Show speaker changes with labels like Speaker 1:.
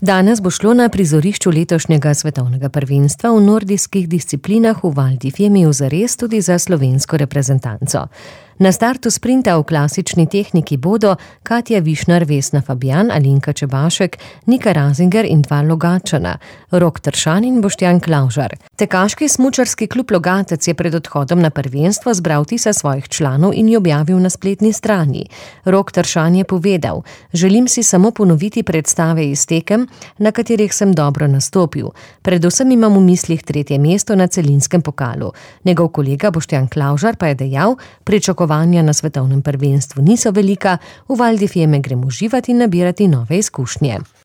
Speaker 1: Danes bo šlo na prizorišču letošnjega svetovnega prvenstva v nordijskih disciplinah v Val di Fiemiju zares tudi za slovensko reprezentanco. Na startu sprinta v klasični tehniki bodo Katja Višnar, Vesna Fabjan, Alenka Čebašek, Nika Razinger in dva Logatčana, Rok Tršan in Boštjan Klavžar. Tekaški smučarski klub Logatec je pred odhodom na prvenstvo zbral tisa svojih članov in jo objavil na spletni strani. Rok Tršan je povedal: "Želim si samo ponoviti predstave iz tekem, na katerih sem dobro nastopil. Predvsem imam v mislih 3. mesto na celinskem pokalu." Njegov kolega Boštjan Klavžar pa je dejal: "Pričakovanja na svetovnem prvenstvu niso velika, v Val di Fieme gremo uživati in nabirati nove izkušnje."